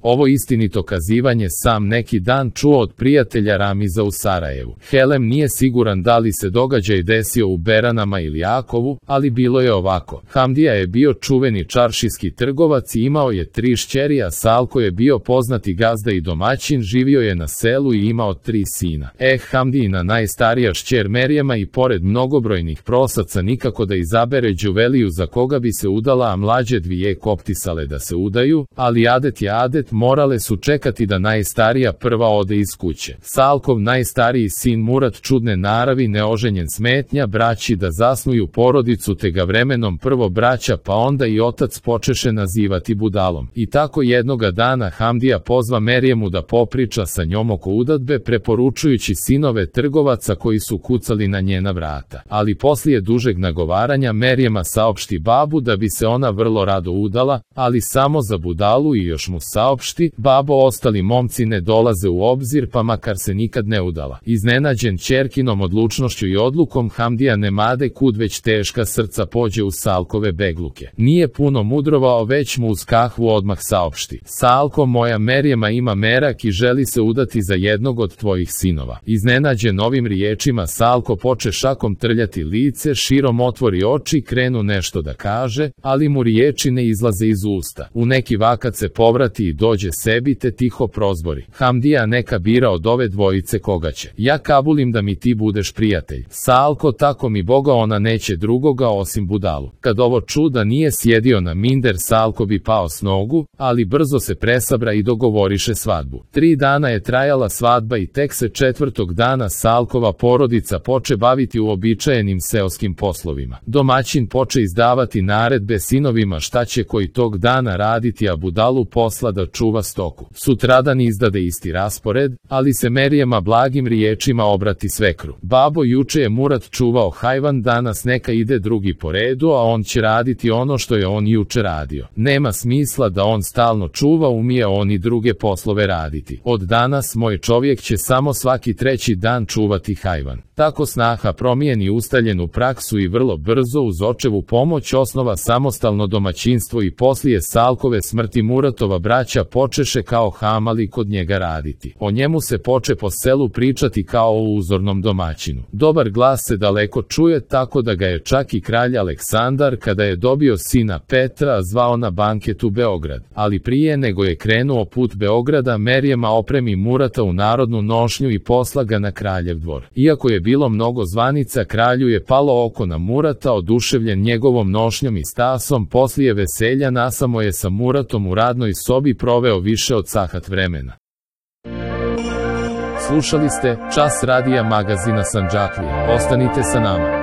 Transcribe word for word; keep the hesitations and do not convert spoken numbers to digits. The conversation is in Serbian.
Ovo istinito kazivanje sam neki dan čuo od prijatelja Ramiza u Sarajevu. Helem nije siguran da li se događaj desio u Beranama ili Jakovu, ali bilo je ovako. Hamdija je bio čuveni čaršijski trgovac i imao je tri šćeri, a Salko je bio poznati gazda i domaćin, živio je na selu i imao tri sina. Eh, Hamdijina najstarija šćer Merjema i pored mnogobrojnih prosaca nikako da izabere Đuveliju za koga bi se udala, a mlađe dvije koptisale da se udaju, ali adet je adet, morale su čekati da najstarija prva ode iz kuće. Salkov najstariji sin Murat, čudne naravi, neoženjen, smetnja braći da zasnuju porodicu, te ga vremenom prvo braća pa onda i otac počeše nazivati budalom. I tako jednoga dana Hamdija pozva Merjemu da popriča sa njom oko udadbe, preporučujući sinove trgovaca koji su kucali na njena vrata. Ali poslije dužeg nagovaranja Merjema saopšti babu da bi se ona vrlo rado udala, ali samo za budalu, i još mu saopšti: babo, ostali momci ne dolaze u obzir, pa makar se nikad ne udala. Iznenađen ćerkinom odlučnošću i odlukom, Hamdija nemade kud već teška srca pođe u Salkove begluke. Nije puno mudrovao, već mu uz kahvu odmah saopšti: Salko, moja Merjema ima merak i želi se udati za jednog od tvojih sinova. Iznenađen ovim riječima, Salko poče šakom trljati lice, širom otvori oči, krenu nešto da kaže, ali mu riječi ne izlaze iz usta. U neki vakat se povrati i dođe sebi, te tiho prozbori: Hamdija, neka bira od ove dvojice koga će. Ja kabulim da mi ti budeš prijatelj. Salko, tako mi Boga, ona neće drugoga osim budalu. Kad ovo čuda nije sjedio na minder, Salko bi pao s nogu, ali brzo se presabra i dogovoriše svadbu. Tri dana je trajala svadba i tek se četvrtog dana Salkova porodica poče baviti uobičajenim seoskim poslovima. Domaćin poče izdavati naredbe sinovima šta će koji tog dana raditi, a budalu posla da čuva stoku. Sutradan izdade isti raspored, ali se Merjema blagim riječima obrati svekru: babo, juče je Murat čuvao hajvan, danas neka ide drugi po redu, a on će raditi ono što je on juče radio. Nema smisla da on stalno čuva, umije on i druge poslove raditi. Od danas moj čovjek će samo svaki treći dan čuvati hajvan. Tako snaha promijeni ustaljenu praksu i vrlo brzo uz očevu pomoć osnova samostalno domaćinstvo, i poslije Salkove smrti Muratova braća počeše kao hamali kod njega raditi. O njemu se poče po selu pričati kao o uzornom domaćinu. Dobar glas se daleko čuje, tako da ga je čak i kralj Aleksandar, kada je dobio sina Petra, zvao na banket u Beograd. Ali prije nego je krenuo put Beograda, Merjema opremi Murata u narodnu nošnju i posla ga na kraljev dvor. Iako je bilo mnogo zvanica, kralju je palo oko na Murata, oduševljen njegovom nošnjom i stasom. Poslije veselja nasamo je sa Muratom u radnoj sobi proveo više od sahat vremena. Slušali ste Čas radija magazina Sandžaklija. Ostanite sa nama.